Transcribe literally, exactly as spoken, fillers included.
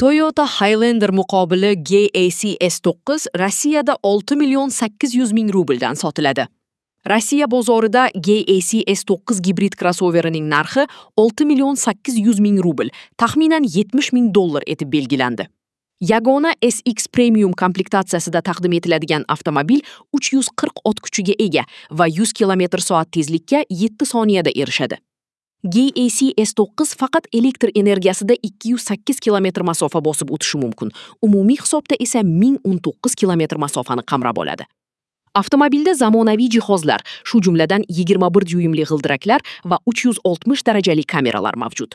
Toyota Highlander muqobili G A C S to'qqiz Rossiyada olti million sakkiz yuz ming rubldan sotiladi. Rossiya bozorida G A C S to'qqiz gibrid krossoverining narxi olti million sakkiz yuz ming rubl, taxminan yetmish ming dollar etib belgilandi. Yagona S X Premium komplektatsiyasida taqdim etiladigan avtomobil uch yuz qirq ot kuchiga ega va yuz kilometr soat tezlikka yetti soniyada erishadi. G A C S to'qqiz faqat elektr energiyasida ikki yuz sakkiz kilometr masofa bosib o'tishi mumkin. Umumiy hisobda esa ming o'n to'qqiz kilometr masofani qamrab oladi. Avtomobilda zamonaviy jihozlar, shu jumladan yigirma bir dyuymli g'ildiraklar va uch yuz oltmish darajali kameralar mavjud.